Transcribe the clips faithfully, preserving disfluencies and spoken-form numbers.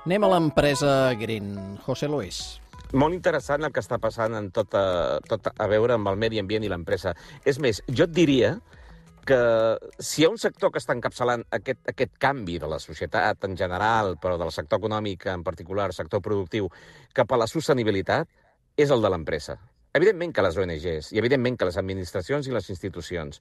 Anem a l'empresa Green. José Luis. Molt interessant el que està passant en tot a, tot a veure amb el medi ambient i l'empresa. És més, jo et diria que si hi ha un sector que està encapçalant aquest, aquest canvi de la societat en general, però del sector econòmic en particular, sector productiu, cap a la sostenibilitat, és el de l'empresa. Evidentment que les O N Ges, i evidentment que les administracions i les institucions,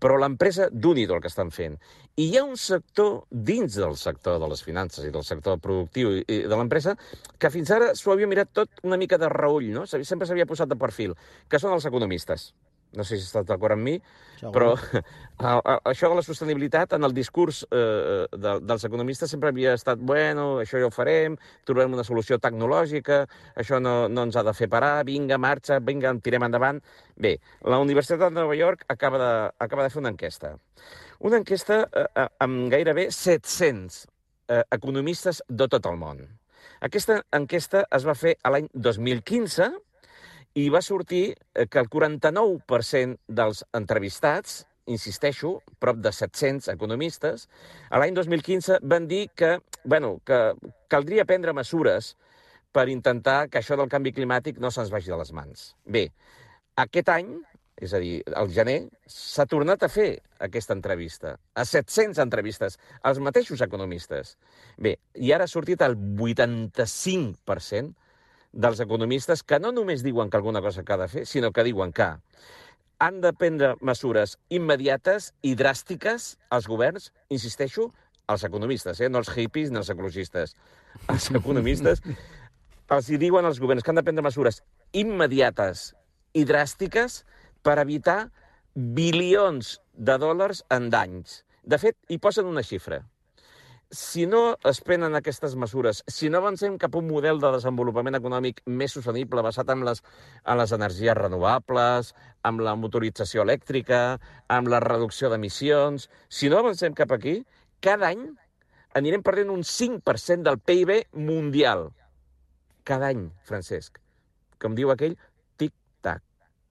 però l'empresa d'un-hi-do el que estan fent. I hi ha un sector dins del sector de les finances i del sector productiu i de l'empresa que fins ara s'ho havia mirat tot una mica de reüll, no? Sempre s'havia posat de perfil, que són els economistes. No sé si estàs d'acord amb mi, Segur. però a, a, això de la sostenibilitat en el discurs eh, de, dels economistes sempre havia estat, bueno, això ja ho farem, trobarem una solució tecnològica, això no, no ens ha de fer parar, vinga, marxa, vinga, tirem endavant. Bé, la Universitat de Nova York acaba de, acaba de fer una enquesta. Una enquesta eh, amb gairebé set-cents eh, economistes de tot el món. Aquesta enquesta es va fer a l'any dos mil quinze, i va sortir que el quaranta-nou per cent dels entrevistats, insisteixo, prop de set-cents economistes, a l'any dos mil quinze van dir que, bueno, que caldria prendre mesures per intentar que això del canvi climàtic no se'ns vagi de les mans. Bé, aquest any, és a dir, al gener, s'ha tornat a fer aquesta entrevista, a set-cents entrevistes, als mateixos economistes. Bé, i ara ha sortit el vuitanta-cinc per cent dels economistes que no només diuen que alguna cosa que ha de fer, sinó que diuen que han de prendre mesures immediates i dràstiques als governs, insisteixo, als economistes, eh? No els hippies ni els ecologistes. Els economistes els hi diuen als governs que han de prendre mesures immediates i dràstiques per evitar bilions de dòlars en danys. De fet, hi posen una xifra. Si no es prenen aquestes mesures, si no avancem cap a un model de desenvolupament econòmic més sostenible basat en les, en les energies renovables, amb la motorització elèctrica, amb la reducció d'emissions, si no avancem cap aquí, cada any anirem perdent un cinc per cent del P I B mundial. Cada any, Francesc. Com diu aquell, tic-tac,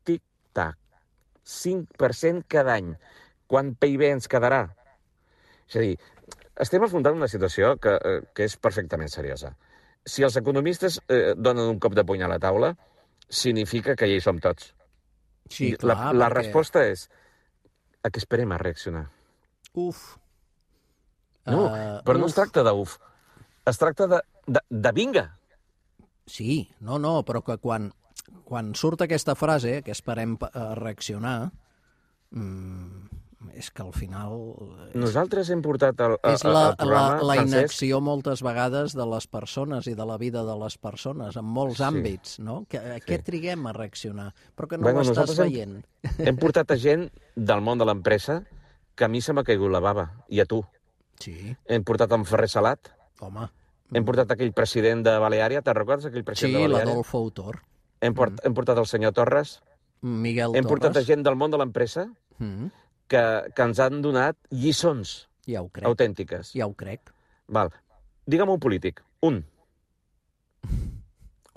tic-tac. cinc per cent cada any. Quant P I B ens quedarà? És a dir, estem afrontant una situació que, eh, que és perfectament seriosa. Si els economistes eh, donen un cop de puny a la taula, significa que ja hi som tots. Sí, clar, la la perquè... resposta és a què esperem a reaccionar. Uf. No, uh, però no uf. es tracta d'uf. Es tracta de, de, de vinga. Sí, no, no, però que quan, quan surt aquesta frase, que esperem a reaccionar, mmm, és que al final... És, Nosaltres hem portat el, el, és la, el programa, la, la Francesc... inacció moltes vegades de les persones i de la vida de les persones, en molts Sí. àmbits, no? Que, a Sí. què triguem a reaccionar? Però que no Bueno, ho estàs nosaltres hem- veient. Hem portat a gent del món de l'empresa que a mi se m'ha caigut la bava, i a tu. Sí, Hem portat en Ferrer Salat, home. hem portat aquell president de Baleària, te'n recordes aquell Sí, president de Baleària? l'Adolfo Autor. Hem, port, hem portat el senyor Torres, Miguel hem Torres. portat a gent del món de l'empresa Mm, que, que ens han donat lliçons ja ho crec, autèntiques. ja ho crec. Val. Digue'm un polític. Un.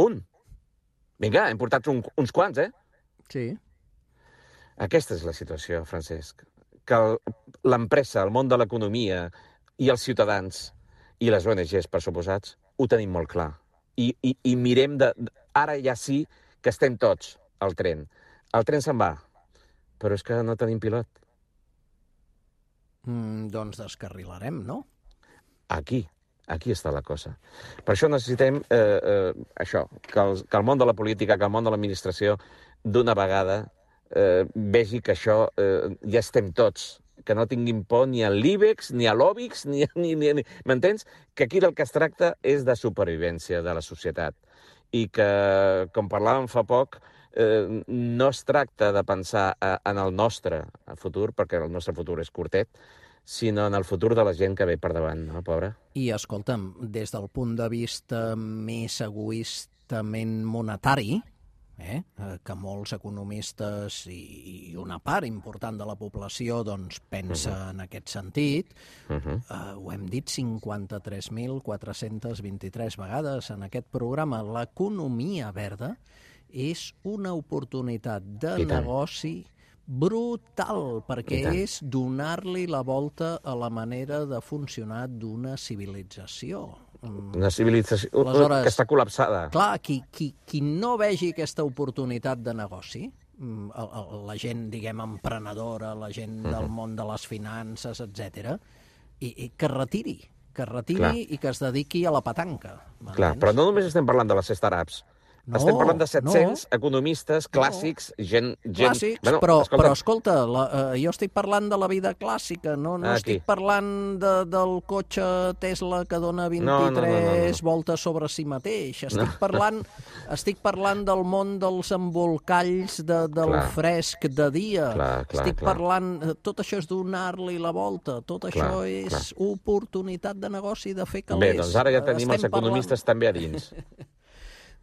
Un. Vinga, hem portat un, uns quants, eh? Sí. Aquesta és la situació, Francesc. Que el- l'empresa, el món de l'economia i els ciutadans i les O N Ges, per suposats, ho tenim molt clar. I, i, i mirem de... Ara ja sí que estem tots al tren. El tren se'n va, però és que no tenim pilot. Mm, doncs descarrilarem, no? Aquí, aquí està la cosa. Per això necessitem eh, eh, això, que el, que el món de la política, que el món de l'administració, d'una vegada eh, vegi que això eh, ja estem tots, que no tinguin por ni a l'IBEX, ni a l'OBIX, ni, ni, ni, ni... M'entens? Que aquí del que es tracta és de supervivència de la societat. I que, com parlàvem fa poc, eh, no es tracta de pensar eh, en el nostre futur, perquè el nostre futur és curtet, sinó en el futur de la gent que ve per davant, no, pobra? I, escolta'm, des del punt de vista més egoistament monetari, eh, que molts economistes i una part important de la població doncs, pensa uh -huh. en aquest sentit, uh -huh. eh, ho hem dit cinquanta-tres mil quatre-cents vint-i-tres vegades en aquest programa, l'economia verda és una oportunitat de negoci Brutal, perquè és donar-li la volta a la manera de funcionar d'una civilització. Una civilització Aleshores, que està col·lapsada. Clar, qui, qui, qui no vegi aquesta oportunitat de negoci, la gent, diguem, emprenedora, la gent del món de les finances, etcètera, i, i que retiri, que retiri Clar. i que es dediqui a la petanca. Clar, però no només estem parlant de les startups. No, Estem parlant de set-cents no. economistes clàssics, gent... gent... Clàssics, Bueno, però, escolta, però escolta, la, eh, jo estic parlant de la vida clàssica, no, no Aquí. estic parlant de, del cotxe Tesla que dona vint-i-tres No, no, no, no, no. voltes sobre si mateix. Estic, parlant, estic parlant del món dels embolcalls de, del Clar. fresc de dia. Clar, clar, estic clar. parlant... Tot això és donar-li la volta. Tot això Clar, és clar. oportunitat de negoci, de fer calés. Bé, doncs ara ja tenim Estem els economistes també a dins.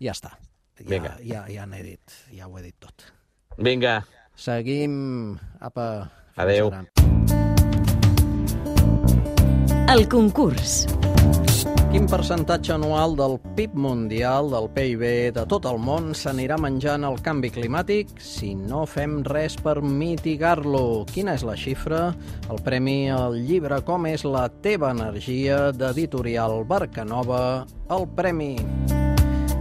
Ja està. Ja, Vinga. ja, ja n'he dit, ja ho he dit tot. Vinga, Seguim. Apa. fins Adéu. ara. El concurs. Quin percentatge anual del P I B mundial, del P I B de tot el món, s'anirà menjant el canvi climàtic si no fem res per mitigar-lo? Quina és la xifra? El premi al llibre Com és la teva energia, d'Editorial Barcanova, el premi.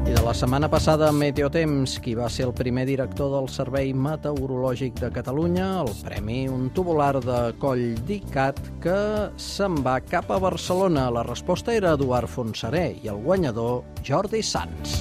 I de la setmana passada, Meteotemps, qui va ser el primer director del Servei Meteorològic de Catalunya, el premi, un tubular de Coll d'Icat que se'n va cap a Barcelona. La resposta era Eduard Fontserè i el guanyador, Jordi Sans.